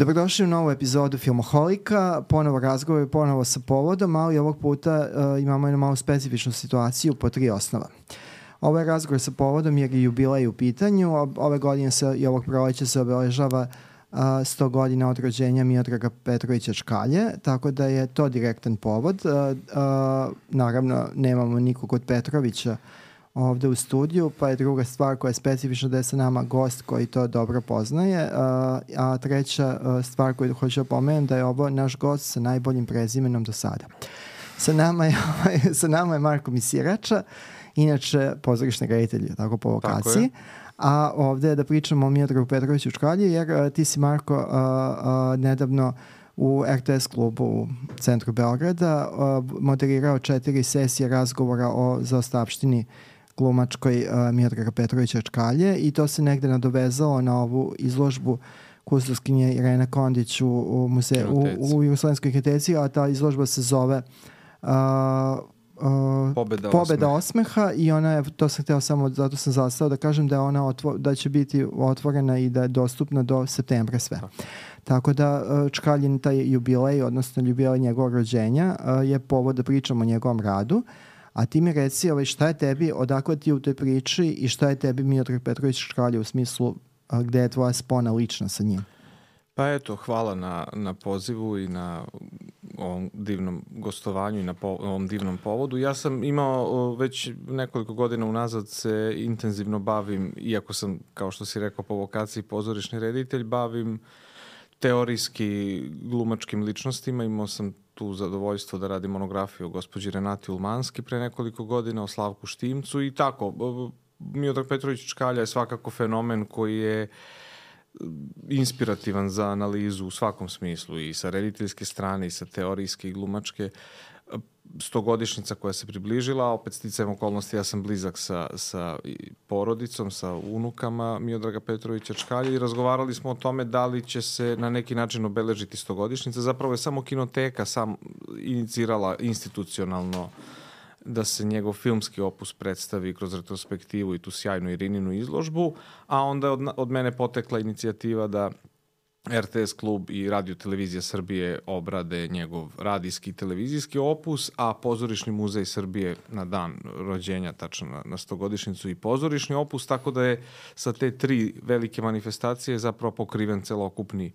Dobrodošli u novu epizodu Filmoholika, ponovo razgovor, ponovo sa povodom, ali ovog puta imamo jednu malo specifičnu situaciju po 3 osnova. Ovo je razgovor sa povodom jer je jubilej u pitanju. Ove godine i ovog proleća se obeležava 100 godina od rođenja Miodraga Petrovića Čkalje, tako da je to direktan povod. Naravno, nemamo nikog od Petrovića ovde u studiju, pa je druga stvar koja je specifična da je sa nama gost koji to dobro poznaje, a treća stvar koju hoću da pomenem da je ovo naš gost sa najboljim prezimenom do sada. Sa nama je Marko Misirača, inače pozorišni reditelj, tako po vokaciji, a ovde je da pričamo o Miodragu Petroviću Čkalji, jer ti si, Marko, nedavno u RTS klubu u centru Beograda moderirao 4 sesije razgovora o zaostavštini glumačkoj Miodraga Petrovića Čkalje i to se negde nadovezalo na ovu izložbu kustoskinje Irene Kondić u Jugoslovenskoj kinoteci, a ta izložba se zove Pobeda osmeha i ona je, to sam hteo samo, zato sam zastao da kažem da je ona da će biti otvorena i da je dostupna do septembra sve. Tako da Čkaljin taj jubilej, odnosno jubilej njegovog rođenja je povod da pričamo o njegovom radu. A ti mi reci šta je tebi, odakle ti u toj priči i šta je tebi Miodrag Petrović Čkalje u smislu gde je tvoja spona lična sa njim? Pa eto, hvala na pozivu i na ovom divnom gostovanju i na ovom divnom povodu. Ja sam imao već nekoliko godina unazad se intenzivno bavim, iako sam, kao što si rekao, po vokaciji pozorišni reditelj, bavim teorijski glumačkim ličnostima. Imao sam tu zadovoljstvo da radim monografiju o gospođi Renati Ulmanski pre nekoliko godina, o Slavku Štimcu i tako. Miodrag Petrović Čkalja je svakako fenomen koji je inspirativan za analizu u svakom smislu i sa rediteljske strane i sa teorijske i glumačke. 100-godišnjica koja se približila, a opet sticajem okolnosti ja sam blizak sa porodicom, sa unukama Miodraga Petrovića Čkalje i razgovarali smo o tome da li će se na neki način obeležiti 100-godišnjica. Zapravo je samo kinoteka inicirala institucionalno da se njegov filmski opus predstavi kroz retrospektivu i tu sjajnu Irininu izložbu, a onda je od mene potekla inicijativa da RTS klub i Radio televizija Srbije obrade njegov radijski i televizijski opus, a Pozorišni muzej Srbije na dan rođenja, tačno na 100-godišnjicu i pozorišni opus, tako da je sa te 3 velike manifestacije zapravo pokriven celokupni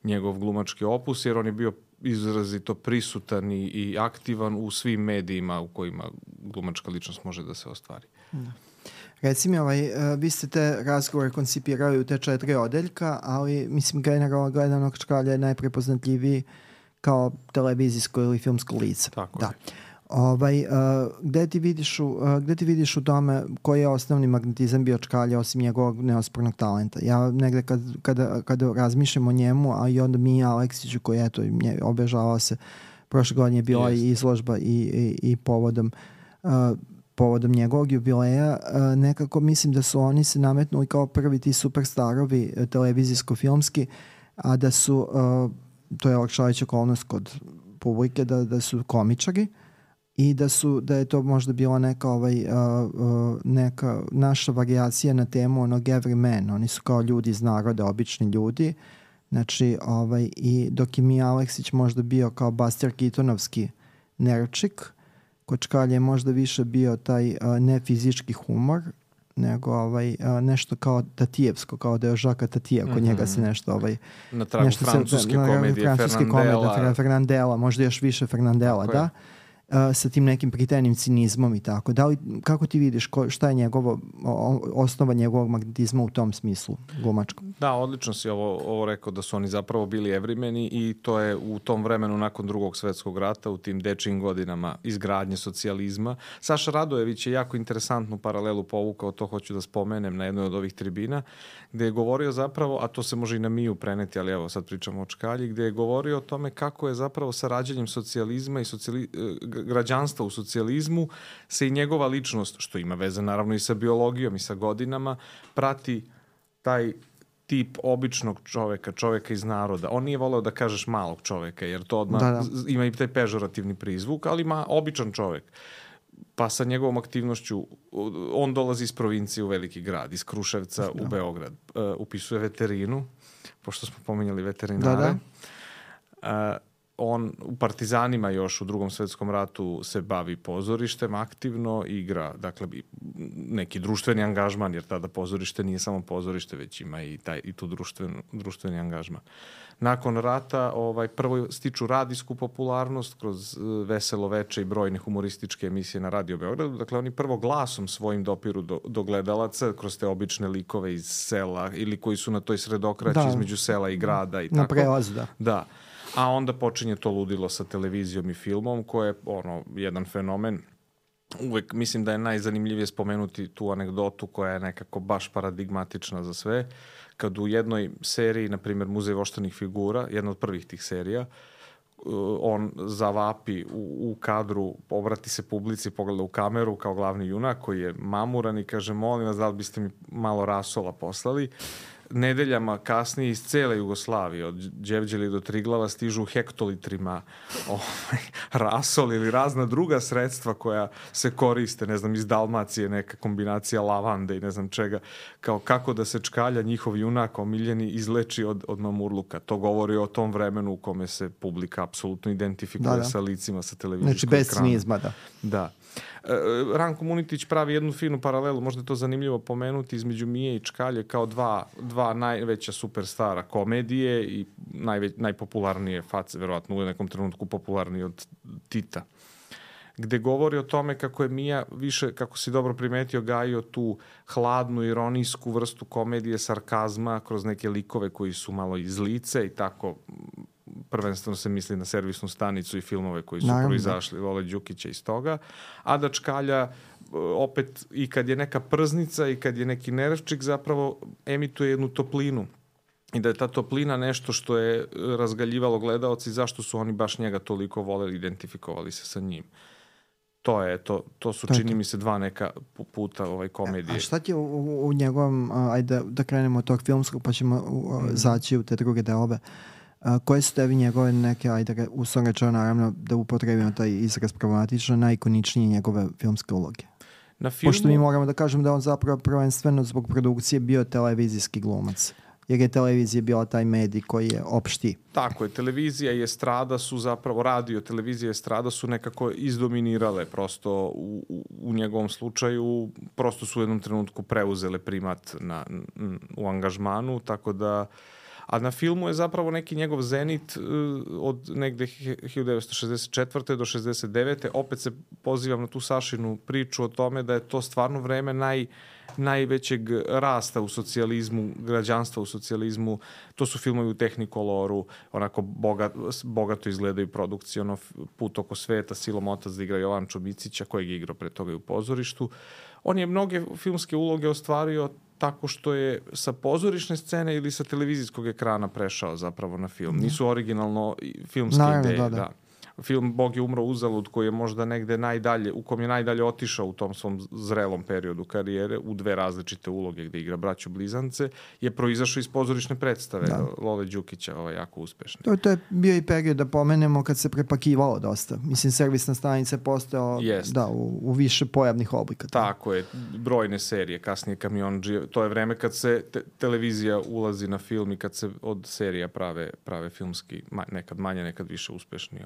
njegov glumački opus, jer on je bio izrazito prisutan i aktivan u svim medijima u kojima glumačka ličnost može da se ostvari. Da. Reci mi, vi ste te razgovore koncipirali u te 4 odeljka, ali mislim generalno gledano Čkalja je najprepoznatljiviji kao televizijsko ili filmsko lice. Tako da. Gde ti vidiš u tome koji je osnovni magnetizam bio Čkalje osim njegovog neospornog talenta? Ja negde kada razmišljam o njemu, a i onda Mija Aleksiću koji eto obežavao se, prošle godine je bila i izložba i povodom njegovog jubileja, nekako mislim da su oni se nametnuli kao prvi ti superstarovi televizijsko-filmski, a da su, to je olakšavajuća okolnost kod publike, da su komičari i da je to možda bila neka naša varijacija na temu onog everyman. Oni su kao ljudi iz naroda, obični ljudi. Znači, i dok je Mija Aleksić možda bio kao Buster Keatonovski nerčik, kod Čkalje je možda više bio taj nefizički humor, nego nešto kao Tatijevsko, kao da je Žaka Tatijev, kod njega se nešto na tragu francuske komedije Fernandela, možda još više Fernandela, da? Sa tim nekim pritenim cinizmom i tako. Kako ti vidiš šta je osnova njegovog magnetizma u tom smislu glumačkom? Da, odlično si ovo rekao da su oni zapravo bili evremeni i to je u tom vremenu nakon Drugog svetskog rata, u tim dečijim godinama izgradnje socijalizma. Saša Radojević je jako interesantnu paralelu povukao, to hoću da spomenem na jednoj od ovih tribina, gde je govorio zapravo, a to se može i na Miju preneti, ali evo sad pričamo o Čkalji, gde je govorio o tome kako je zapravo sa rađanjem socijalizma i građanstva u socijalizmu se i njegova ličnost, što ima veze naravno i sa biologijom i sa godinama, prati taj tip običnog čoveka iz naroda. On nije voleo da kažeš malog čoveka, jer to odmah ima i taj pežorativni prizvuk, ali običan čovek. pa sa njegovom aktivnošću, on dolazi iz provincije u veliki grad, iz Kruševca u Beograd. Upisuje veterinu, pošto smo pominjali veterinare. On u Partizanima još u Drugom svetskom ratu se bavi pozorištem aktivno, igra, dakle, neki društveni angažman, jer tada pozorište nije samo pozorište, već ima i tu društveni angažman. Nakon rata prvo stiču radijsku popularnost kroz Veselo veče i brojne humorističke emisije na Radio Beogradu. Dakle, oni prvo glasom svojim dopiru do gledalaca kroz te obične likove iz sela ili koji su na toj sredokraći između sela i grada i tako. Na prelazu, da. Da. A onda počinje to ludilo sa televizijom i filmom, koje je jedan fenomen. Uvek mislim da je najzanimljivije spomenuti tu anegdotu koja je nekako baš paradigmatična za sve. Kad u jednoj seriji, na primjer Muzej voštanih figura, jedna od prvih tih serija, on zavapi u kadru, obrati se publici, pogleda u kameru kao glavni junak koji je mamuran i kaže, molim vas, da li biste mi malo rasola poslali? Nedeljama kasnije iz cele Jugoslavije, od Đevđeli do Triglava, stižu hektolitrima rasol ili razna druga sredstva koja se koriste, ne znam, iz Dalmacije, neka kombinacija lavande i ne znam čega, kao kako da se čkalja njihov junak omiljeni izleči od mamurluka. To govori o tom vremenu u kome se publika apsolutno identifikuje sa licima sa televizijskog ekrana. Znači, bez cinizma, da. Da. Ranko Munitić pravi jednu finu paralelu, možda je to zanimljivo pomenuti, između Mije i Čkalje kao dva najveća superstara komedije i najpopularnije face, verovatno u nekom trenutku popularniji od Tita, gde govori o tome kako je Mija više, kako si dobro primetio, gajio tu hladnu, ironijsku vrstu komedije, sarkazma kroz neke likove koji su malo iz lice i tako. Prvenstveno se misli na servisnu stanicu i filmove koji su proizašli Lole Đukića iz toga, a da Čkalja opet i kad je neka prznica i kad je neki nervčik zapravo emituje jednu toplinu i da je ta toplina nešto što je razgaljivalo gledaoci, zašto su oni baš njega toliko voleli, identifikovali se sa njim. To su, čini mi se, dva neka puta komedije. A šta ti je u njegovom, ajde da krenemo od tog filmskog pa ćemo zaći u te druge delove, koje su tebi njegove neke, ajde uslovno rečeno, naravno da upotrebimo taj izraz problematično, najikoničnije njegove filmske uloge? Na filmu... Pošto mi moramo da kažemo da on zapravo prvenstveno zbog produkcije bio televizijski glumac. Jer je televizija bila taj medij koji je opšti. Tako je, televizija i estrada su zapravo, radio, televizija i estrada su nekako izdominirale prosto u njegovom slučaju, prosto su u jednom trenutku preuzele primat u angažmanu, tako da, a na filmu je zapravo neki njegov zenit od negde 1964. do 69. Opet se pozivam na tu Sašinu priču o tome da je to stvarno vreme najvećeg rasta u socijalizmu, građanstva u socijalizmu. To su filmovi u Tehnikoloru, onako bogato izgledaju produkcije, Put oko sveta, Silom otac da igra Jovan Čobicića, kojeg je igrao pre toga i u pozorištu. On je mnoge filmske uloge ostvario tako što je sa pozorišne scene ili sa televizijskog ekrana prešao zapravo na film. Nisu originalno filmske ideje. Da. Film Bog je umro uzalud, koji je možda negde najdalje, u kom je najdalje otišao u tom svom zrelom periodu karijere, u dve različite uloge gde igra braću blizance, je proizašao iz pozorišne predstave Lole Đukića, jako uspešne. To je bio i period, da pomenemo, kad se prepakivalo dosta. Mislim, servisna stanica je postojao u više pojavnih oblika. Tako je, brojne serije, kasnije Kamiondžije, to je vreme kad se televizija ulazi na film i kad se od serija prave filmski, nekad manje, nekad više uspešni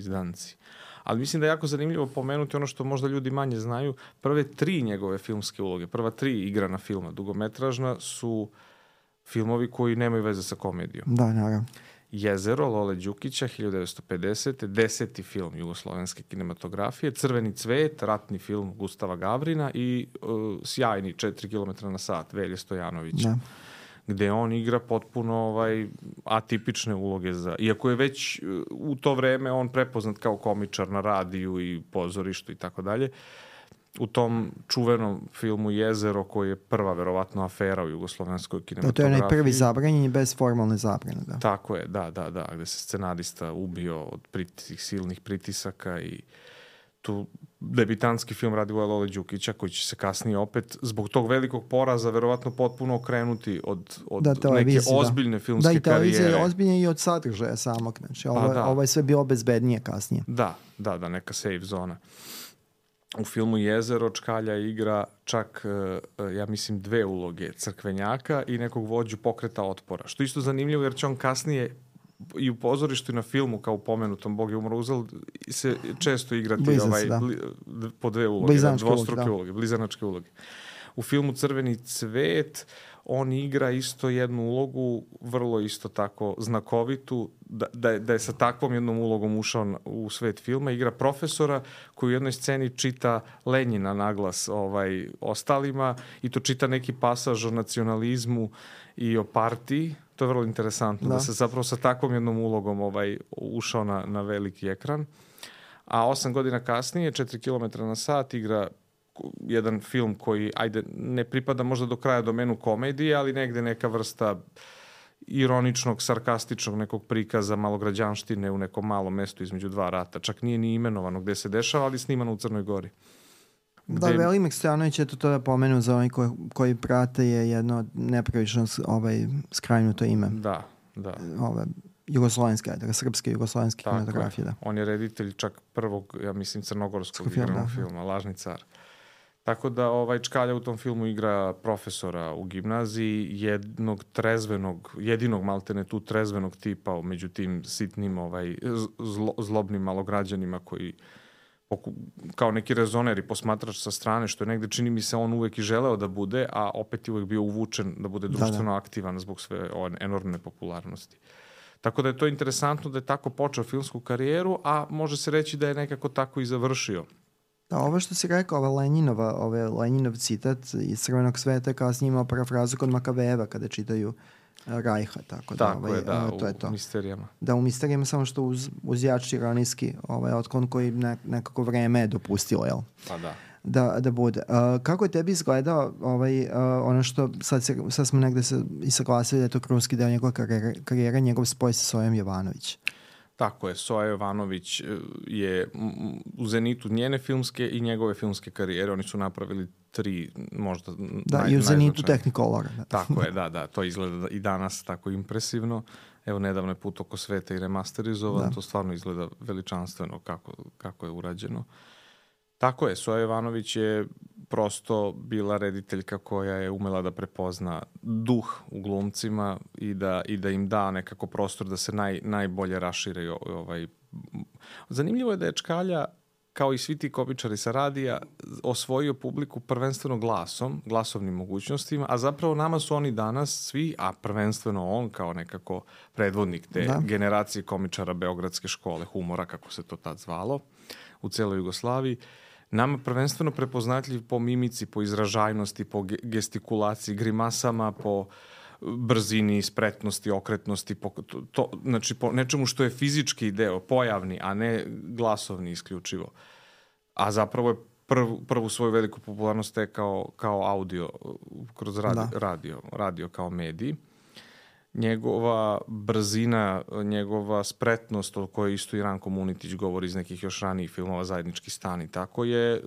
izdanci. Ali mislim da je jako zanimljivo pomenuti ono što možda ljudi manje znaju. Prve 3 njegove filmske uloge, prva 3 igrana filma dugometražna su filmovi koji nemaju veze sa komedijom. Da, naravno. Jezero, Lole Đukića, 1950. 10. film jugoslovenske kinematografije, Crveni cvet, ratni film Gustava Gavrina i sjajni 4 km na sat Velje Stojanovića. Da. Gde on igra potpuno atipične uloge iako je već u to vreme on prepoznat kao komičar na radiju i pozorištu i tako dalje. U tom čuvenom filmu Jezero, koji je prva verovatno afera u jugoslovenskoj kinematografiji. To je prvi zabranjen bez formalne zabrane. Da. Tako je, da, gde se scenarista ubio od silnih pritisaka i tu debitanski film Radivoja Lole Đukića, koji će se kasnije opet zbog tog velikog poraza verovatno potpuno okrenuti od neke ozbiljne filmske karijere. Da, i televizija je ozbiljna i od sadržaja samog. Znači, ovo je sve bilo bezbednije kasnije. Da, neka safe zona. U filmu Jezero Čkalja igra čak, ja mislim, 2 uloge, crkvenjaka i nekog vođu pokreta otpora. Što isto zanimljivo jer će on kasnije i u pozorištu i na filmu, kao u pomenutom Bog je umro uzal, se često igrati po 2 uloge, dvostruke uloge, blizanačke uloge. U filmu Crveni cvet on igra isto jednu ulogu, vrlo isto tako znakovitu, da je sa takvom jednom ulogom ušao u svet filma. Igra profesora koji u jednoj sceni čita Lenjina naglas ostalima i to čita neki pasaž o nacionalizmu i o partiji. To je vrlo interesantno, da se zapravo sa takvom jednom ulogom ušao na veliki ekran. A 8 godina kasnije, 4 km na sat, igra jedan film koji, ne pripada možda do kraja domenu komedije, ali negde neka vrsta ironičnog, sarkastičnog nekog prikaza malograđanštine u nekom malom mestu između 2 rata. Čak nije ni imenovano gde se dešava, ali snimano u Crnoj Gori. Da, Velimir Stojanović, eto to da pomenu za oni koji prate, je jedno nepravično skrajnuto ime. Da. Jugoslovenske, srpske jugoslovenske kinematografije. Da. On je reditelj čak prvog, ja mislim, crnogorskog igranog filma, Lažni car. Tako da Čkalja u tom filmu igra profesora u gimnaziji, jedinog maltene tu trezvenog tipa među tim sitnim zlobnim malograđanima koji kao neki rezoner i posmatrač sa strane, što je negde, čini mi se, on uvek i želeo da bude, a opet je uvek bio uvučen da bude društveno aktivan zbog sve enormne popularnosti. Tako da je to interesantno da je tako počeo filmsku karijeru, a može se reći da je nekako tako i završio. Da, ovo što si rekao, Lenjinov citat iz Crvenog sveta, kasnije imao parafrazu kod Makaveva kada čitaju Rajha. Tako je, u Misterijama. Da, u Misterijama, samo što uz jači ironijski otklon koji nekako vreme je dopustilo, jel? Pa da. Da bude. Kako je tebi izgledao ono što sad smo negde se i saglasili da je to krunski deo njegove karijere, njegov spoj sa Sojom Jovanović? Tako je, Soja Jovanović je u zenitu njene filmske i njegove filmske karijere. Oni su napravili 3 možda i u zenitu Technicolora. Tako je, da. To izgleda i danas tako impresivno. Evo, nedavno je Put oko sveta i remasterizovan. To stvarno izgleda veličanstveno kako je urađeno. Tako je, Soja Jovanović je prosto bila rediteljka koja je umela da prepozna duh u glumcima i da im da nekako prostor da se najbolje rašire. Zanimljivo je da je Čkalja, kao i svi ti komičari sa radija, osvojio publiku prvenstveno glasovnim mogućnostima, a zapravo nama su oni danas svi, a prvenstveno on kao nekako predvodnik te generacije komičara Beogradske škole humora, kako se to tad zvalo, u celoj Jugoslaviji, nama prvenstveno prepoznatljiv po mimici, po izražajnosti, po gestikulaciji, grimasama, po brzini, spretnosti, okretnosti, znači po nečemu što je fizički deo, pojavni, a ne glasovni isključivo. A zapravo je prvu svoju veliku popularnost stekao kao audio, kroz radio kao medij. Njegova brzina, njegova spretnost, o kojoj isto i Ranko Munitić govori iz nekih još ranijih filmova, Zajednički stan i tako, je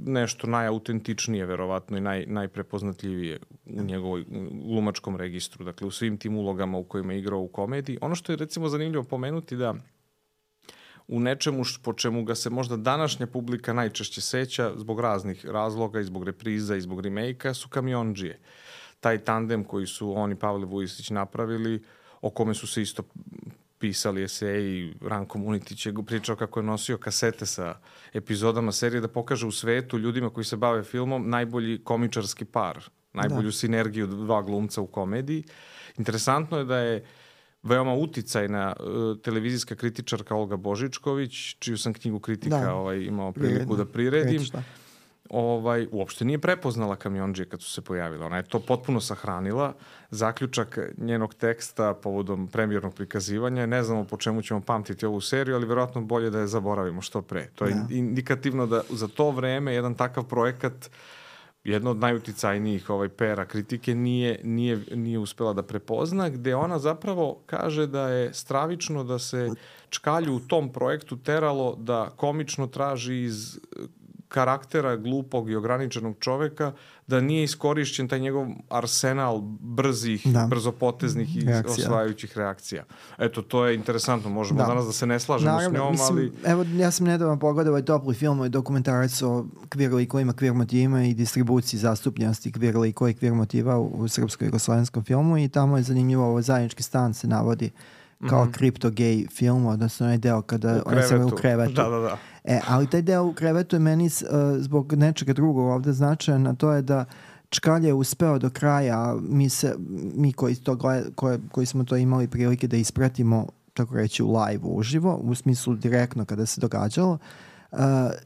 nešto najautentičnije, verovatno, i najprepoznatljivije u njegovoj glumačkom registru. Dakle, u svim tim ulogama u kojima je igrao u komediji. Ono što je, recimo, zanimljivo pomenuti da u nečemu po čemu ga se možda današnja publika najčešće seća zbog raznih razloga, i zbog repriza, i zbog remake-a, su Kamiondžije. Taj tandem koji su on i Pavle Vujisić napravili, o kome su se isto pisali eseji. Ranko Munitić je pričao kako je nosio kasete sa epizodama serije da pokaže u svetu ljudima koji se bave filmom najbolji komičarski par, najbolju sinergiju 2 glumca u komediji. Interesantno je da je veoma uticajna televizijska kritičarka Olga Božičković, čiju sam knjigu Kritika imao priliku da priredim. Uopšte nije prepoznala Kamiondžije kad su se pojavile. Ona je to potpuno sahranila. Zaključak njenog teksta povodom premijernog prikazivanja, ne znamo po čemu ćemo pamtiti ovu seriju, ali verovatno bolje da je zaboravimo što pre. To je indikativno da za to vreme jedan takav projekat, jedno od najuticajnijih pera kritike, nije uspela da prepozna, gde ona zapravo kaže da je stravično da se Čkalju u tom projektu teralo da komično traži iz karaktera glupog i ograničenog čoveka da nije iskorišćen taj njegov arsenal brzih, brzopoteznih i osvajajućih reakcija. Eto, to je interesantno. Možemo danas da se ne slažemo s njom, ali... Evo, ja sam nedavno pogledao ovaj topli film, ovaj dokumentarac o queer likovima, queer motivima i distribuciji zastupljenosti queer likova i queer motiva u srpsko-jugoslovenskom filmu i tamo je zanimljivo, ovo zajednički stan se navodi kao kripto-gej film, odnosno onaj deo kada on se u krevetu. Da. Ali taj deo u krevetu je meni zbog nečega drugog ovde značajan, a to je da Čkalj je uspeo do kraja, mi koji smo to imali prilike da ispratimo, tako reći, u live, uživo, u smislu direktno kada se događalo,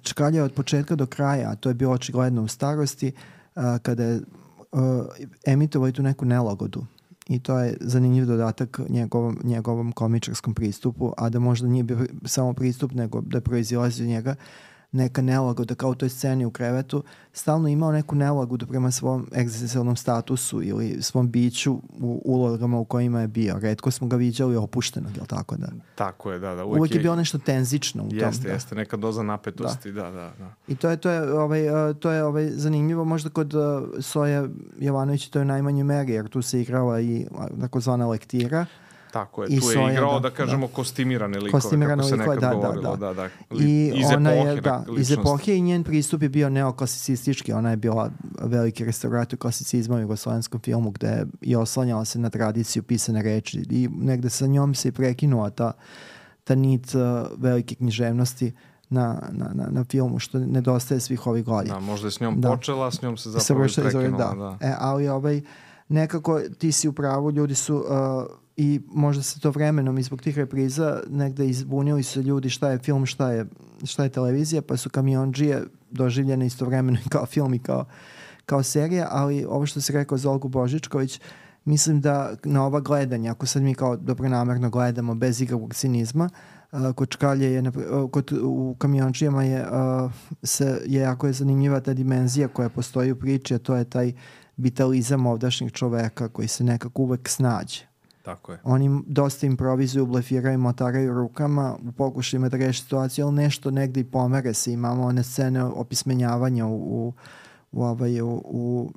Čkalj je od početka do kraja, a to je bilo očigledno u starosti, kada je emitovao tu neku nelagodu. I to je zanimljiv dodatak njegovom komičarskom pristupu, a da možda nije bio samo pristup, nego da proizilazi od njega neka nelagoda, kao u toj sceni u krevetu, stalno imao neku nelagodu prema svom egzistencijalnom statusu ili svom biću u ulogama u kojima je bio. Retko smo ga viđali opuštenog, jel tako da? Tako je, da. Uvijek je bilo nešto tenzično u tom. Jeste, neka doza napetosti, da. I to je zanimljivo možda kod Soje Jovanovića, to je u najmanjoj meri, jer tu se igrala i takozvana lektira. Tako je, tu je igrao, da kažemo, kostimirane likove, kako se nekad govorilo. Da. I iz epohe i njen pristup je bio neoklasicistički, ona je bila veliki restaurator klasicizma u jugoslovenskom filmu, gde je oslanjala se na tradiciju pisane reči i negde sa njom se i prekinula ta nit velike književnosti na filmu, što nedostaje svih ovih godina. Da, možda je s njom počela, s njom se zapravo i prekinula. Ali nekako ti si u pravu, ljudi su... I možda se to vremenom i zbog tih repriza negde izbunili su ljudi šta je film, šta je televizija, pa su Kamiondžije doživljene istovremeno kao film i kao serija, ali ovo što si rekao za Olgu Božičković, mislim da na ova gledanja, ako sad mi kao dobronamerno gledamo bez ikakvog cinizma, kod Čkalje u Kamiondžijama je jako je zanimljiva ta dimenzija koja postoji u priči, a to je taj vitalizam ovdašnjeg čoveka koji se nekako uvek snađe. Tako je. Oni dosta improvizuju, blefiraju, motaraju rukama u pokušajima da reši situaciju, ali nešto negde i pomere se. Imamo one scene opismenjavanja u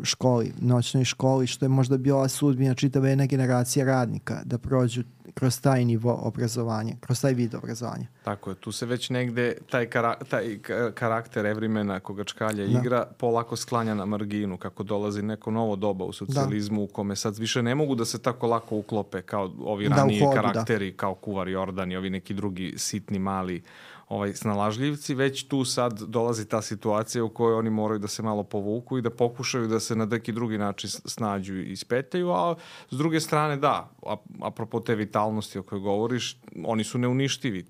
školi, noćnoj školi, što je možda bila sudbina čitave jedna generacija radnika da prođu kroz taj nivo obrazovanja, kroz taj vid obrazovanja. Tako je, tu se već negde taj karakter Evremena koga Čkalja igra polako sklanja na marginu, kako dolazi neko novo doba u socijalizmu u kome sad više ne mogu da se tako lako uklope kao ovi raniji karakteri, kao Kuvar Jordan i ovi neki drugi sitni mali snalažljivci, već tu sad dolazi ta situacija u kojoj oni moraju da se malo povuku i da pokušaju da se na neki drugi način snađu i ispetaju, a s druge strane apropo te vitalnosti o kojoj govoriš, oni su neuništivi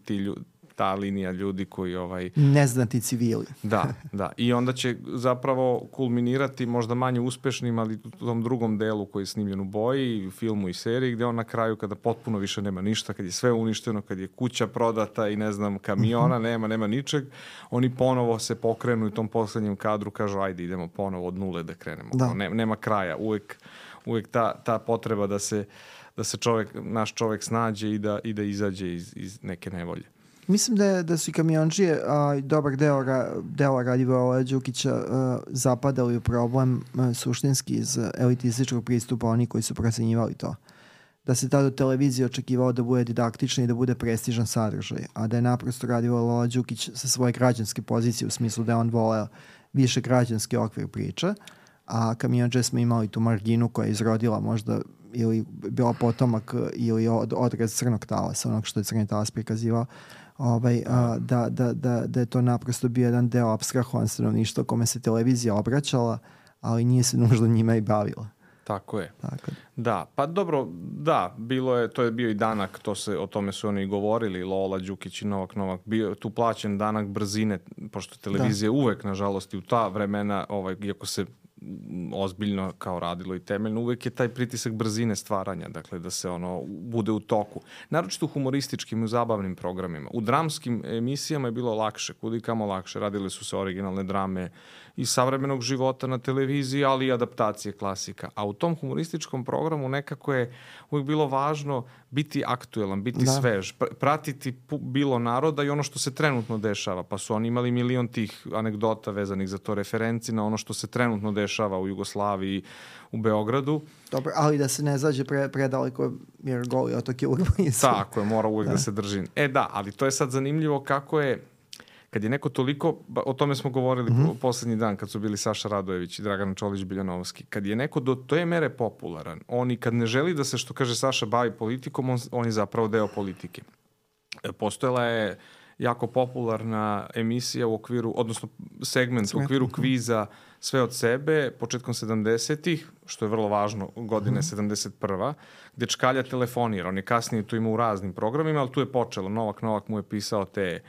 ti ljudi, ta linija ljudi koji... Neznati civili. Da. I onda će zapravo kulminirati možda manje uspešnim, ali u tom drugom delu koji je snimljen u boji, u filmu i seriji, gde on na kraju kada potpuno više nema ništa, kad je sve uništeno, kad je kuća prodata i ne znam, kamiona, nema ničeg, oni ponovo se pokrenu u tom poslednjem kadru, kažu ajde idemo ponovo od nule da krenemo. Nema kraja. Uvek ta potreba da se naš čovek snađe i da izađe iz neke nevolje. Mislim da su i Kamiondžije, dobar deo Radivoja Đukića zapadali u problem suštinski iz elitističkog pristupa oni koji su procenjivali to. Da se tada televizija očekivao da bude didaktična i da bude prestižan sadržaj, a da je naprosto Radivoje Đukić sa svoje građanske pozicije u smislu da on voleo više građanski okvir priča, a Kamiondžije smo imali tu marginu koja je izrodila možda ili bila potomak ili odraz crnog talasa, onog što je crni talas prikazivao, da je to naprosto bio jedan deo apstrahovan stanovništva kome se televizija obraćala, ali nije se nužno njima i bavila. Tako je. Da, pa dobro, to je bio i danak, o tome su oni govorili, Lola Đukić i Novak, bio tu plaćen danak brzine, pošto televizija uvek, nažalost, i u ta vremena, iako se ozbiljno kao radilo i temeljno, uvek je taj pritisak brzine stvaranja, dakle da se ono bude u toku. Naročito u humorističkim i u zabavnim programima. U dramskim emisijama je bilo lakše, kudikamo lakše. Radile su se originalne drame iz savremenog života na televiziji, ali i adaptacije klasika. A u tom humorističkom programu nekako je uvijek bilo važno biti aktuelan, biti svež, pratiti bilo naroda i ono što se trenutno dešava. Pa su oni imali milion tih anegdota vezanih za to, referenci na ono što se trenutno dešava u Jugoslaviji, u Beogradu. Dobro, ali da se ne zađe predaleko jer Goli otok je uvijek blizu. Tako je, mora uvijek da se drži. Da, ali to je sad zanimljivo kako je kad je neko toliko, o tome smo govorili poslednji dan kad su bili Saša Radojević i Dragan Čolić-Biljanovski, kad je neko do te mere popularan, on i kad ne želi da se, što kaže Saša, bavi politikom, on je zapravo deo politike. Postojala je jako popularna emisija u okviru, odnosno segment u okviru kviza Sve od sebe, početkom 70-ih, što je vrlo važno, godine 71. gde Čkalja telefonira. On je kasnije to imao u raznim programima, ali tu je počelo. Novak mu je pisao te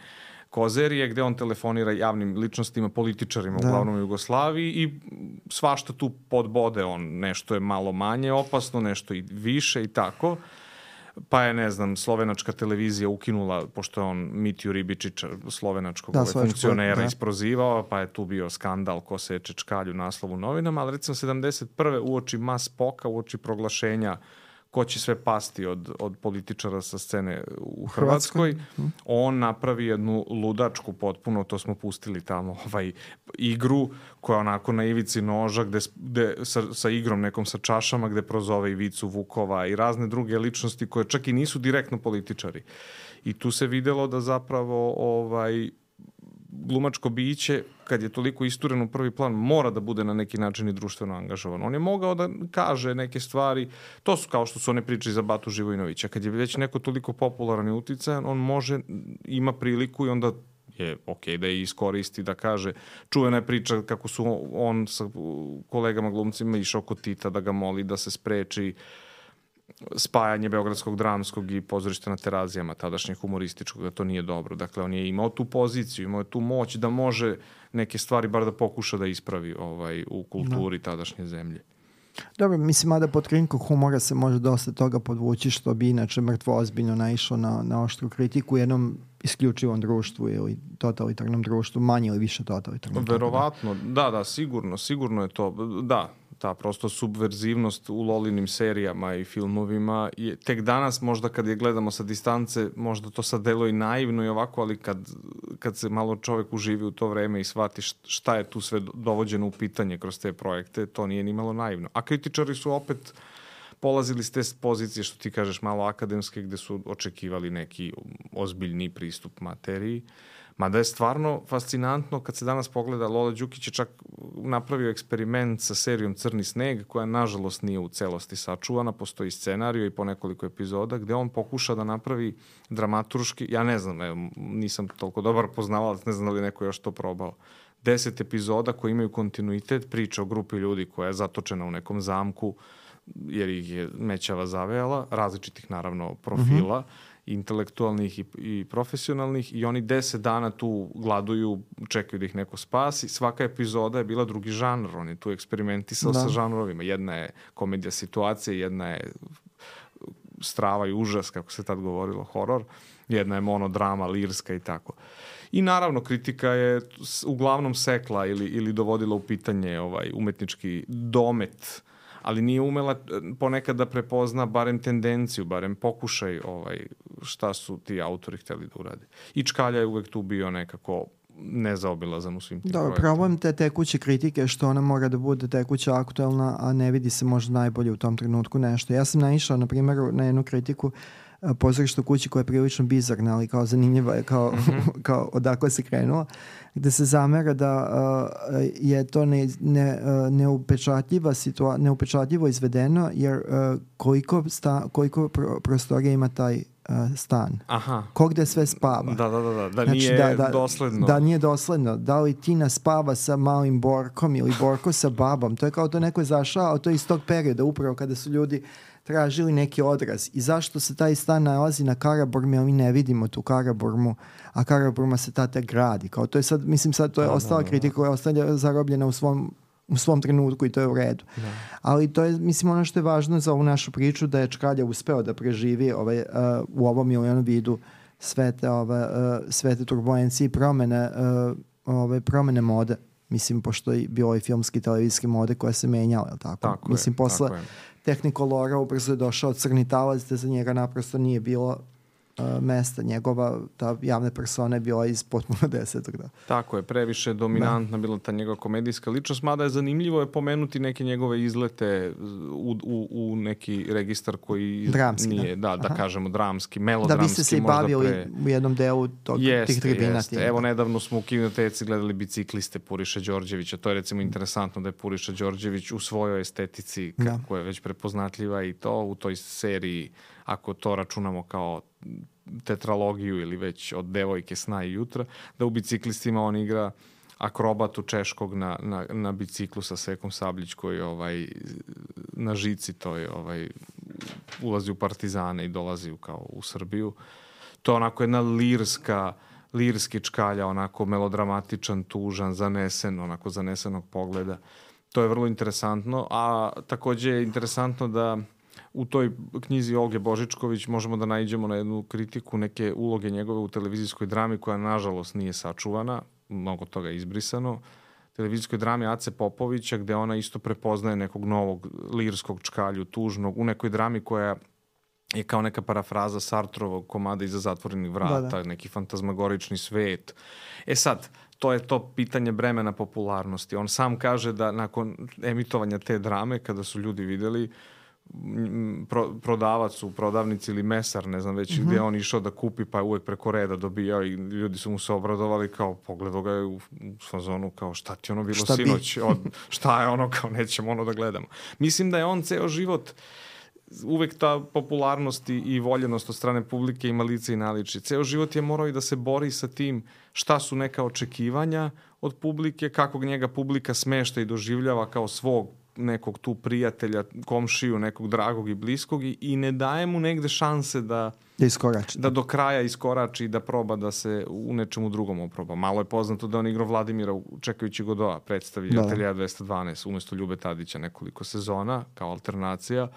kozerije gde on telefonira javnim ličnostima, političarima uglavnom u Jugoslaviji i svašta tu podbode on. Nešto je malo manje opasno, nešto i više i tako. Pa je, ne znam, slovenačka televizija ukinula, pošto je on Mitju Ribičića, slovenačkog funkcionera isprozivao, pa je tu bio skandal ko seče Čkalju naslovu novinama, ali recimo 71. uoči Mas Poka, uoči proglašenja ko će sve pasti od političara sa scene u Hrvatskoj, on napravi jednu ludačku potpuno, to smo pustili tamo, igru koja onako na ivici noža, gde sa igrom nekom sa čašama, gde prozove Ivicu Vukova i razne druge ličnosti koje čak i nisu direktno političari. I tu se videlo da zapravo glumačko biće, kad je toliko isturen u prvi plan, mora da bude na neki način i društveno angažovan. On je mogao da kaže neke stvari, to su kao što su one priče za Batu Živojinovića. Kad je već neko toliko popularan i uticajan, on ima priliku i onda je okej da je iskoristi, da kaže. Čuvena je priča kako su on sa kolegama glumcima išao kod Tita da ga moli da se spreči spajanje Beogradskog dramskog i pozorišta na Terazijama, tadašnjeg humorističkog, da to nije dobro. Dakle, on je imao tu poziciju, imao je tu moć da može neke stvari bar da pokuša da ispravi u kulturi tadašnje zemlje. Dobro, mislim, mada pod krinkom humora se može dosta toga podvući, što bi inače mrtvo ozbiljno naišlo na oštru kritiku u jednom isključivom društvu ili totalitarnom društvu, manje ili više totalitarnom. Verovatno, da, sigurno je to, da. Ta prosto subverzivnost u Lolinim serijama i filmovima je tek danas, možda kad je gledamo sa distance, možda to sad deluje i naivno i ovako, ali kad se malo čovek uživi u to vreme i shvati šta je tu sve dovođeno u pitanje kroz te projekte, to nije ni malo naivno. A kritičari su opet polazili s te pozicije, što ti kažeš, malo akademske, gde su očekivali neki ozbiljni pristup materiji. Mada je stvarno fascinantno kad se danas pogleda, Lola Đukić je čak napravio eksperiment sa serijom Crni sneg, koja nažalost nije u celosti sačuvana, postoji scenario i po nekoliko epizoda, gde on pokuša da napravi dramaturški, ja ne znam, nisam toliko dobar poznavalac, ne znam da li neko još to probao, 10 epizoda koji imaju kontinuitet, priča o grupi ljudi koja je zatočena u nekom zamku, jer ih je mećava zavejala, različitih naravno profila, intelektualnih i profesionalnih, i oni 10 dana tu gladuju, čekaju da ih neko spasi. Svaka epizoda je bila drugi žanr, on je tu eksperimentisao sa žanrovima. Jedna je komedija situacije, jedna je strava i užas, kako se tad govorilo, horor, jedna je monodrama, lirska i tako. I naravno kritika je uglavnom sekla ili dovodila u pitanje umetnički domet, ali nije umela ponekad da prepozna barem tendenciju, barem pokušaj šta su ti autori hteli da urade. I Čkalja je uvek tu bio nekako nezaobilazan u svim tim projektima. Problem te tekuće kritike što ona mora da bude tekuća, aktuelna, a ne vidi se možda najbolje u tom trenutku nešto. Ja sam naišao, na primjer, na jednu kritiku Pozorišta u kući koja je prilično bizarna, ali kao zanimljiva je, kao odakle se krenula, gde se zamera da je to neupečatljivo izvedeno, jer koliko prostorija ima taj stan. Aha. Ko gde sve spava. Da nije dosledno. Da nije dosledno. Da li Tina spava sa malim Borkom ili Borko sa babom. To je kao to neko je zašao, a to je iz tog perioda, upravo kada su ljudi tražili neki odraz. I zašto se taj stan nalazi na Karaburmi, a mi ne vidimo tu Karaburmu, a Karaburma se tada gradi. Kao to je sad, mislim sad to je ostala kritika koja je ostala zarobljena u svom u svom trenutku i to je u redu. Da. Ali to je, mislim, ono što je važno za ovu našu priču, da je Čkalja uspeo da preživi u ovom ili onom vidu sve te turbulencije i promene mode. Mislim, pošto je bilo i filmski i televizijski mode koja se menjala, je li tako? Tako mislim, je, posle tako je. Technicolora ubrzo je došao crni talac, da za njega naprosto nije bilo mesta. Njegova, ta javna persona je bila iz potpuno 10. Da. Tako je, previše dominantna bila ta njegova komedijska ličnost, mada je zanimljivo je pomenuti neke njegove izlete u neki registar koji dramski, nije, da kažemo dramski, melodramski. Da, vi ste se i bavili u jednom delu tih tribina. Evo, nedavno smo u Kinoteci gledali Bicikliste Puriše Đorđevića. To je recimo interesantno da je Puriša Đorđević u svojoj estetici, koja je već prepoznatljiva i to u toj seriji, ako to računamo kao tetralogiju ili već od Devojke, sna i jutra, da u Biciklistima on igra akrobatu češkog na biciklu sa Sekom Sabljić koji na žici to je ulazi u Partizane i dolazi kao u Srbiju. To je onako jedna lirski Čkalja, onako melodramatičan, tužan, zanesenog pogleda. To je vrlo interesantno, a takođe je interesantno da u toj knjizi Olge Božičković možemo da naiđemo na jednu kritiku neke uloge njegove u televizijskoj drami koja nažalost nije sačuvana, mnogo toga je izbrisano. Televizijskoj drami Ace Popovića gde ona isto prepoznaje nekog novog lirskog Čkalju, tužnog, u nekoj drami koja je kao neka parafraza Sartrovog komada Iza zatvorenih vrata, neki fantazmagorični svet. Sad, to je to pitanje bremena popularnosti. On sam kaže da nakon emitovanja te drame, kada su ljudi videli prodavac u prodavnici ili mesar, ne znam već gde on išao da kupi, pa je uvek preko reda dobijao i ljudi su mu se obradovali kao pogledao ga je u fazonu kao šta ti ono bilo sinoć, šta je ono kao nećemo ono da gledamo. Mislim da je on ceo život uvek ta popularnost i voljenost od strane publike ima lice i naličje. Ceo život je morao i da se bori sa tim šta su neka očekivanja od publike, kako njega publika smešta i doživljava kao svog nekog tu prijatelja, komšiju, nekog dragog i bliskog i ne daje mu negde šanse da do kraja iskorači i da proba da se u nečemu drugom oproba. Malo je poznato da on igrao Vladimira Čekajući Godoa, predstavi Ateljea 212 umesto Ljube Tadića nekoliko sezona kao alternacija.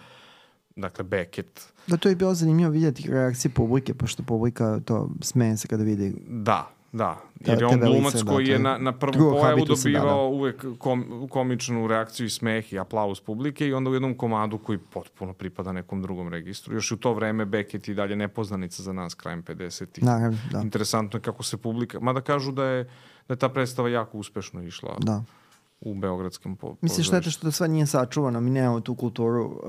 Dakle, Beckett. Da, to je bilo zanimljivo vidjeti reakcije publike, pošto publika to smeje se kada vidi. Da, jer je on glumac koji je na prvu pojavu dobivao uvek komičnu reakciju i smeh i aplauz publike i onda u jednom komadu koji potpuno pripada nekom drugom registru. Još u to vreme Beckett i dalje nepoznanica za nas krajem 50-ih. Naravno, da. Interesantno je kako se publika... Mada kažu da je ta predstava jako uspešno išla. Da. U beogradskom pozorištu. Mislim, šteta što sve nije sačuvano. Mi nemamo tu kulturu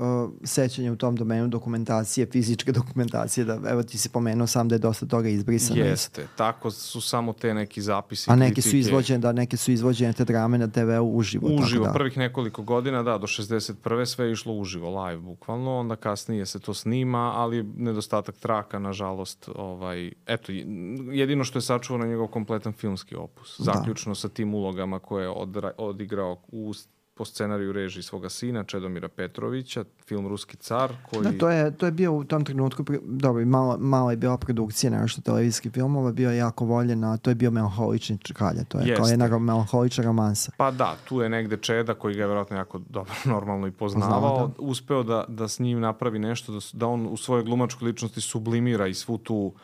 sećanja u tom domenu dokumentacije, fizičke dokumentacije. Da, evo ti si pomenuo sam da je dosta toga izbrisano. Jeste. Tako su samo te neki zapisi. A neke su izvođene te drame na TV-u uživo. Uživo. Prvih nekoliko godina, do 61. sve je išlo uživo, live bukvalno. Onda kasnije se to snima, ali nedostatak traka, nažalost. Eto, jedino što je sačuvano njegov kompletan filmski opus. Zaključno sa tim ulogama koje je odigrao po scenariju režiji svoga sina Čedomira Petrovića, film Ruski car koji... Da, to je bio u tom trenutku, dobro, mala je bila produkcija, nešto televizijskih filmova, bio je jako voljen, a to je bio melanholični Čkalja, to je kao jedna melanholična romansa. Pa da, tu je negde Čeda koji ga je vjerojatno jako dobro normalno i poznavao, uspeo da s njim napravi nešto, da on u svojoj glumačkoj ličnosti sublimira i svu tu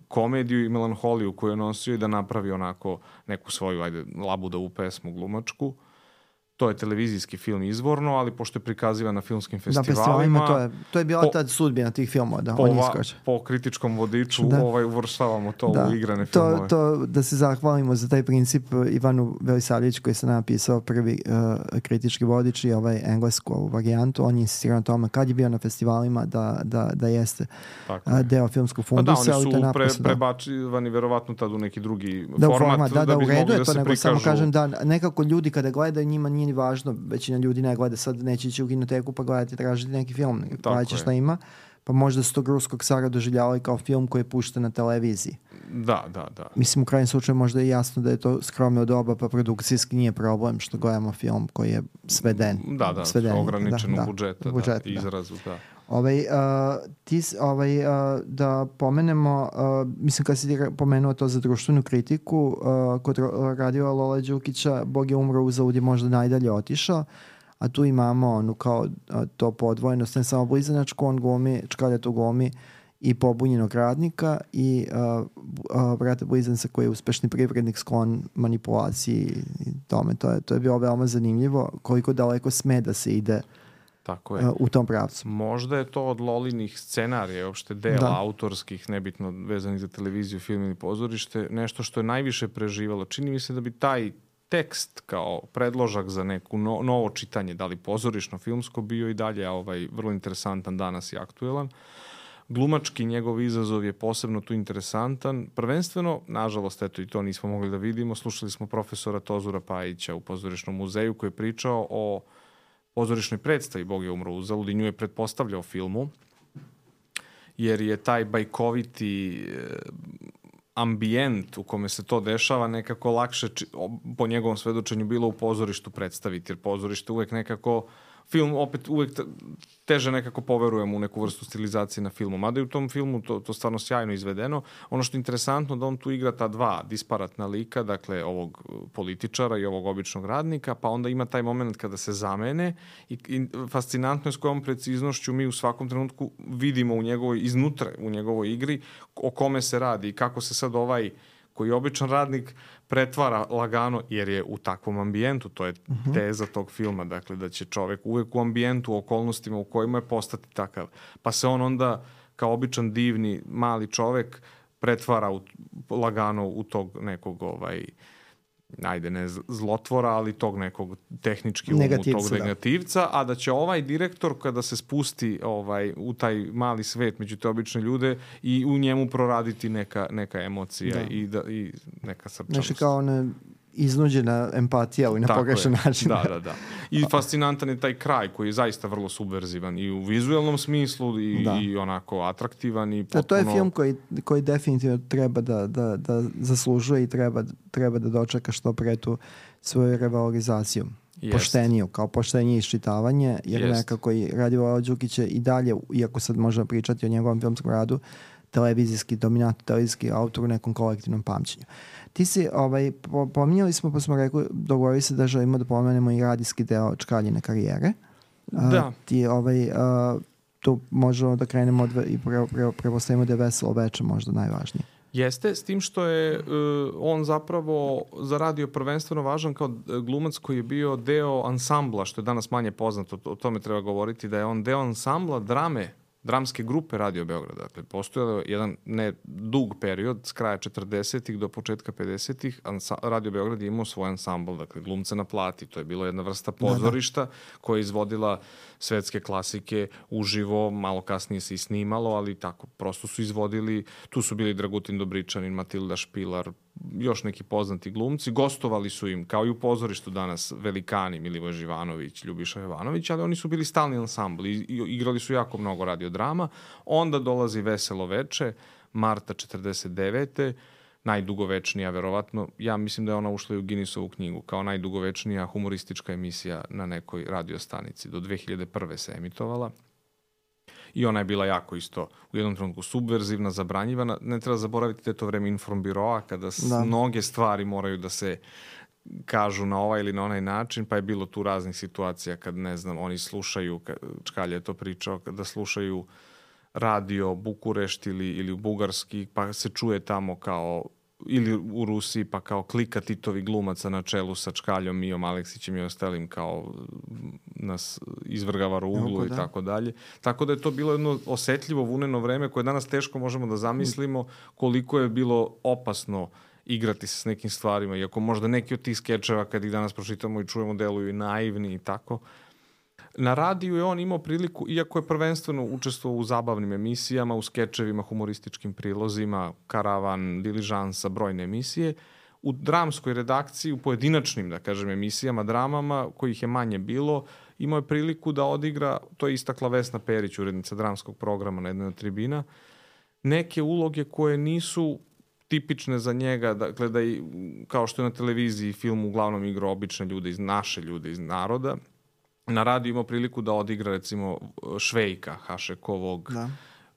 komediju i melanholiju koju je nosio i da napravi onako neku svoju labudovu pesmu glumačku. To je televizijski film izvorno, ali pošto je prikazivan na filmskim festivalima... To je bila ta sudbina tih filmova, da on iskače. Po kritičkom vodiču uvrštavamo to u igrane filmove. Da se zahvalimo za taj princip Ivanu Velisavljeviću koji se napisao prvi kritički vodič i englesku ovu varijantu. On je insistirao na tome kad je bio na festivalima da jeste deo filmskog fundusa. Da, oni su prebacivani verovatno tad u neki drugi format. Da, u redu je to, nego samo kažem da nekako ljudi kada gledaju njima nije ni važno, većina ljudi ne gleda sad, neće ići u kinoteku pa gledati, tražiti neki film, gledati šta ima, Pa možda su tog ruskog cara doživljavali kao film koji je pušten na televiziji. Da. Mislim, u krajnjem slučaju možda je jasno da je to skromno doba, pa produkcijski nije problem što gledamo film koji je sveden. Ograničenog budžeta, izrazu, da. Da pomenemo, mislim kad si ti pomenuo to za društvenu kritiku, kod radiova Lola Đukića Bog je umro uzalud je možda najdalje otišao, a tu imamo kao to podvojenost, ne samo blizanačku, on glumi, Čkalja tu glumi i pobunjenog radnika i brata blizanca koji je uspešni privrednik sklon manipulaciji i tome. To je bilo veoma zanimljivo koliko daleko sme da se ide tako je. U tom pravcu. Možda je to od Lolinih scenarija, uopšte dela autorskih, nebitno vezanih za televiziju, film ili pozorište, nešto što je najviše preživalo. Čini mi se da bi taj tekst kao predložak za neku novo čitanje, da li pozorišno, filmsko, bio i dalje vrlo interesantan danas i aktuelan. Glumački njegov izazov je posebno tu interesantan. Prvenstveno, nažalost, eto i to nismo mogli da vidimo, slušali smo profesora Tozura Pajića u Pozorišnom muzeju koji je pričao o pozorišnoj predstavi Bog je umro uzalud i nju je pretpostavljao filmu, jer je taj bajkoviti ambijent u kome se to dešava nekako lakše, po njegovom svedočenju, bilo u pozorištu predstaviti, jer pozorište uvek nekako, film opet uvek teže nekako poverujemo u neku vrstu stilizacije na filmu. Mada je u tom filmu to stvarno sjajno izvedeno. Ono što je interesantno da on tu igra ta dva disparatna lika, dakle ovog političara i ovog običnog radnika, pa onda ima taj moment kada se zamene i fascinantno je s kojom preciznošću mi u svakom trenutku vidimo iznutra u njegovoj igri o kome se radi i kako se sad ovaj koji je običan radnik pretvara lagano, jer je u takvom ambijentu, to je teza tog filma, dakle da će čovek uvek u ambijentu, u okolnostima u kojima je postati takav. Pa se on onda kao običan divni mali čovek pretvara lagano u tog nekog zlotvora, ali tog nekog tehnički tog negativca, a da će ovaj direktor kada se spusti u taj mali svet među te obične ljude i u njemu proraditi neka emocija i neka srčanost. Nešto kao iznuđena empatija na pogrešan način. Da. I fascinantan je taj kraj koji je zaista vrlo subverzivan i u vizualnom smislu i onako atraktivan i potpuno... To je film koji definitivno treba da zaslužuje i treba da dočeka što pre tu svoju revalorizaciju. Pošteniju, kao poštenije iščitavanje, jer nekako i Radio Đukić je i dalje, iako sad možemo pričati o njegovom filmskom radu, televizijski dominant, televizijski autor u nekom kolektivnom pamćenju. Ti si, pominjali smo, pa smo rekli, dogovorili se da želimo da pomenemo i radijski deo Čkaljine karijere. Da. Tu možemo da krenemo i prepostavimo da je Veselo veče možda najvažnije. Jeste, s tim što je on zapravo zaradio prvenstveno važan kao glumac koji je bio deo ansambla, što je danas manje poznato, o tome treba govoriti, da je on deo ansambla dramske grupe Radio Beograda. Dakle, postojao jedan ne dug period, s kraja 40-ih do početka 50-ih, Radio Beograd je imao svoj ansambl, dakle, glumca na plati. To je bila jedna vrsta pozorišta koja je izvodila svetske klasike uživo, malo kasnije se i snimalo, ali tako, prosto su izvodili, tu su bili Dragutin Dobričanin, Matilda Špilar, još neki poznati glumci, gostovali su im, kao i u pozorištu danas, velikani, Milivoj Živanović, Ljubiša Jovanović, ali oni su bili stalni ansambl i igrali su jako mnogo radiodrama. Onda dolazi Veselo veče, marta 49. najdugovečnija, verovatno, ja mislim da je ona ušla i u Guinnessovu knjigu, kao najdugovečnija humoristička emisija na nekoj radiostanici. Do 2001. se emitovala. I ona je bila jako isto u jednom trenutku subverzivna, zabranjivana. Ne treba zaboraviti da je to vreme informbiroa, kada mnoge stvari moraju da se kažu na ovaj ili na onaj način, pa je bilo tu raznih situacija kad, ne znam, oni slušaju, Čkalja je to pričao, kada slušaju radio Bukurešt ili u bugarski, pa se čuje tamo kao, ili u Rusiji, pa kao klika Titovi glumaca na čelu sa Čkaljom, Mijom Aleksićem i ostalim, kao nas izvrgava ruglu i tako dalje. Tako da je to bilo jedno osetljivo, vuneno vreme koje danas teško možemo da zamislimo koliko je bilo opasno igrati se s nekim stvarima, iako možda neki od tih skečeva kad ih danas pročitamo i čujemo deluju i naivni i tako. Na radiju je on imao priliku, iako je prvenstveno učestvovao u zabavnim emisijama, u skečevima, humorističkim prilozima, Karavan, Diližansa, brojne emisije, u dramskoj redakciji, u pojedinačnim, da kažem, emisijama, dramama, kojih je manje bilo, imao je priliku da odigra, to je istakla Vesna Perić, urednica dramskog programa na jednoj od tribina, neke uloge koje nisu tipične za njega, dakle da i, kao što je na televiziji film uglavnom igra obične ljude, naše ljude iz naroda, na radiju imao priliku da odigra recimo Švejka Hašekovog,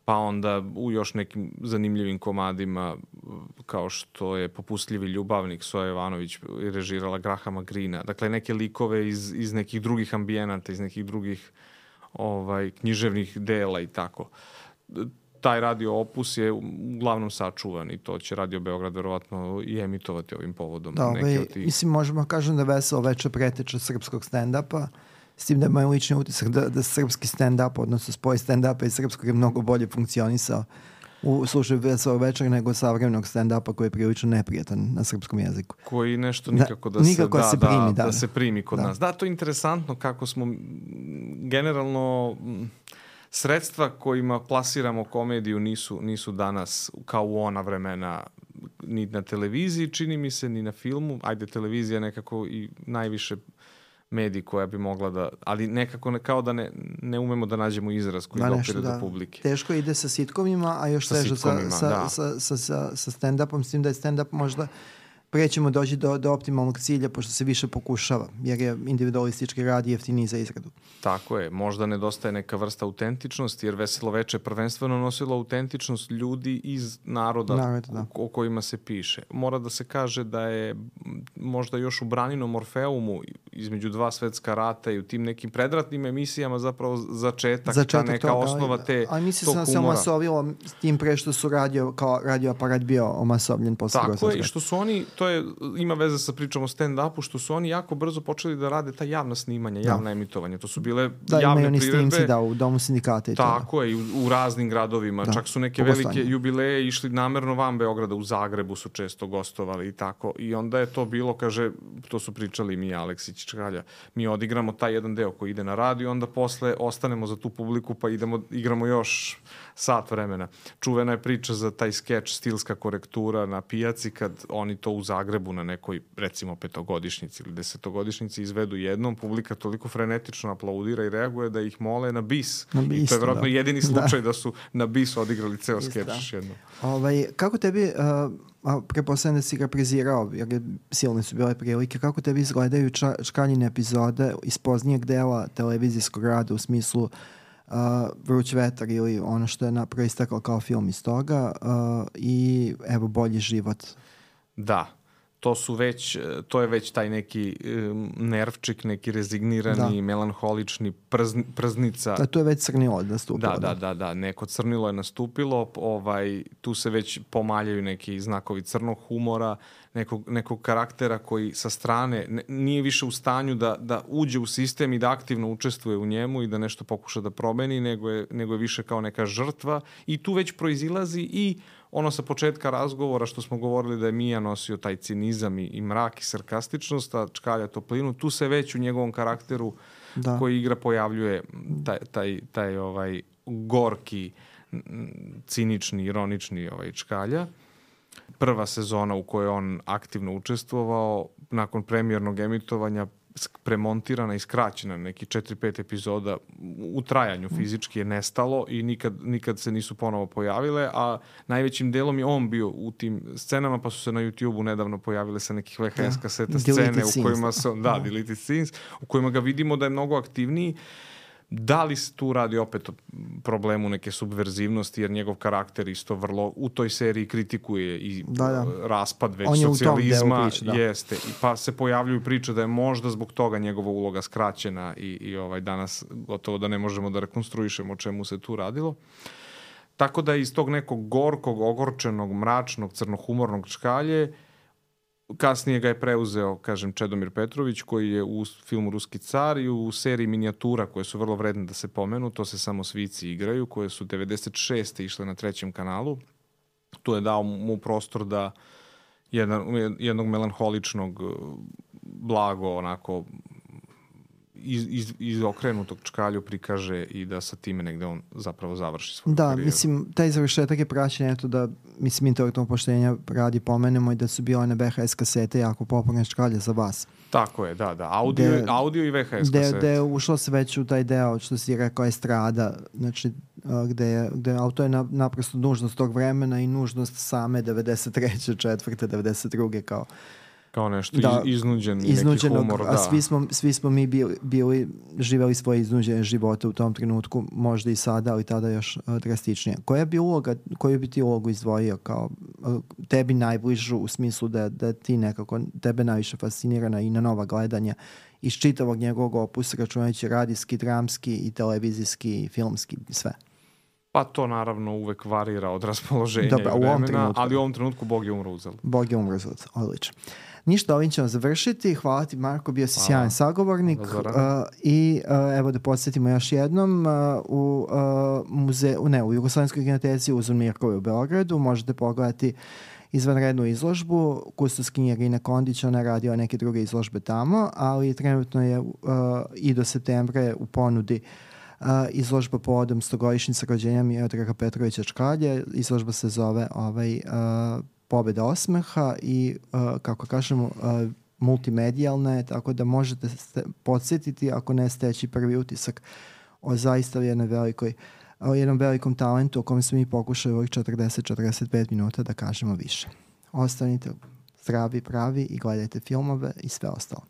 pa onda u još nekim zanimljivim komadima kao što je Popustljivi ljubavnik, Soja Jovanović režirala Grahama Greena. Dakle, neke likove iz nekih drugih ambijenata, iz nekih drugih književnih dela i tako. Taj radio opus je uglavnom sačuvan i to će Radio Beograd verovatno i emitovati ovim povodom. Da, mislim, možemo kažem da Veselo veče preteča srpskog stand-upa, s tim da je moj lični utisak da srpski stand-up, odnosno spoj stand-upa i srpskog je mnogo bolje funkcionisao u slučaju Veselog večera nego savremenog stand-upa koji je prilično neprijatan na srpskom jeziku. Koji nešto nikako da se primi kod nas. Da, to je interesantno kako smo generalno sredstva kojima plasiramo komediju nisu danas kao u ona vremena ni na televiziji, čini mi se, ni na filmu. Ajde, televizija nekako i najviše medij koja bi mogla da, ali nekako kao da ne umemo da nađemo izraz koji dopire do publike. Teško ide sa sitkovima, a još teže sa stand-upom, s tim da je stand-up možda prećemo doći do optimalnog cilja pošto se više pokušava, jer je individualistički rad jeftiniji za izradu. Tako je, možda nedostaje neka vrsta autentičnosti, jer Veselo veče prvenstveno nosilo autentičnost ljudi iz naroda o kojima se piše. Mora da se kaže da je možda još u Braninom Orfeumu između dva svetska rata i u tim nekim predratnim emisijama zapravo začetak ta neka toga, osnova tog humora. Ali mislim se omasovilo s tim pre što su radio aparat bio omasobljen posle. Tako je, i što su oni, ima veze sa pričom o stand-upu, što su oni jako brzo počeli da rade ta javna snimanja, javna emitovanja. To su bile javne priredbe. U Domu sindikata i to. Tako je, u raznim gradovima. Čak su neke velike jubileje išli namerno van Beograda, u Zagrebu su često gostovali i tako. I onda je to bilo, kaže, to su pričali mi, Aleksić, Čkalja, mi odigramo taj jedan deo koji ide na radio, onda posle ostanemo za tu publiku pa igramo još sat vremena. Čuvena je priča za taj skeč Stilska korektura na pijaci kad oni to u Zagrebu na nekoj, recimo, 5-godišnjici ili 10-godišnjici izvedu jednom, publika toliko frenetično aplaudira i reaguje da ih mole na bis. I to je vjerojatno jedini slučaj da su na bis odigrali ceo skeč jednom. Kako tebi, prepostavljam da si ga prizirao, jer silne su bile prilike, kako tebi izgledaju Čkaljine epizode iz poznijeg dela televizijskog rada u smislu Vruć vetar ili ono što je proistaklo kao film iz toga i evo Bolji život? Da, to je već taj neki nervčik, neki rezignirani, melanholični prznica. Da, tu je već crnilo nastupilo. Da, neko crnilo je nastupilo, tu se već pomaljaju neki znakovi crnog humora, nekog karaktera koji sa strane nije više u stanju da uđe u sistem i da aktivno učestvuje u njemu i da nešto pokuša da promeni, nego je više kao neka žrtva i tu već proizilazi i ono sa početka razgovora što smo govorili da je Mija nosio taj cinizam i mrak i sarkastičnost, a Čkalja toplinu, tu se već u njegovom karakteru koji igra pojavljuje taj gorki, cinični, ironični Čkalja. Prva sezona u kojoj on aktivno učestvovao, nakon premijernog emitovanja premontirana i skraćena neki 4-5 epizoda u trajanju fizički je nestalo i nikad se nisu ponovo pojavile, a najvećim delom je on bio u tim scenama, pa su se na YouTube-u nedavno pojavile sa nekih VHS kaseta scene u kojima su, deleted scenes, u kojima ga vidimo da je mnogo aktivniji. Da li se tu radi opet o problemu neke subverzivnosti, jer njegov karakter isto vrlo u toj seriji kritikuje i raspad već socijalizma, jeste, i pa se pojavljuju priče da je možda zbog toga njegova uloga skraćena i danas gotovo da ne možemo da rekonstruišemo o čemu se tu radilo. Tako da iz tog nekog gorkog, ogorčenog, mračnog, crnohumornog Čkalje kasnije ga je preuzeo, kažem, Čedomir Petrović, koji je u filmu Ruski car i u seriji minijatura, koje su vrlo vredne da se pomenu, to se samo svici igraju, koje su 96. išle na 3. kanalu. Tu je dao mu prostor da jednog melanholičnog, blago, onako, iz okrenutog čkalju prikaže i da sa time negde on zapravo završi svoju Da, karijeru. mislim, taj završetak je praćen, eto da, mislim, intelektualno poštenja radi pomenemo i da su bile one VHS kasete jako popularne čkalje za vas. Tako je, da. Audio i VHS kasete. Gde je ušlo se već u taj deo, što si rekao, estrada, znači gde auto je naprosto nužnost tog vremena i nužnost same 93. 4. 92. kao nešto iznuđen neki humor. A svi smo mi živeli svoje iznuđene živote u tom trenutku, možda i sada, ali tada još drastičnije. Koju bi ti ulogu izdvojio kao tebi najbližu u smislu da ti nekako tebe najviše fascinirana i na nova gledanja iz čitavog njegovog opusa, računajući radijski, dramski i televizijski i filmski, sve? Pa to naravno uvek varira od raspoloženja i vremena, ali u ovom trenutku Bog je umro uzalud. Bog je umro uzalud, odlično. Ništa, ovim ćemo završiti. Hvala ti, Marko, bio si sjajan sagovornik. I evo da podsjetimo još jednom, u Jugoslovenskoj kinoteci Uzun Mirkovi u Beogradu možete pogledati izvanrednu izložbu. Kustoskinja Irina Kondić, ona radila neke druge izložbe tamo, ali trenutno je i do septembra u ponudi izložba povodom 100-godišnjice rođenja Miodraga Petrovića Čkalje. Izložba se zove Pobeda osmeha i, kako kažemo, multimedijalna je, tako da možete podsjetiti, ako ne steći prvi utisak o zaista jednom velikom talentu o kojem smo mi pokušali ovih 40-45 minuta da kažemo više. Ostanite zdravi, pravi i gledajte filmove i sve ostalo.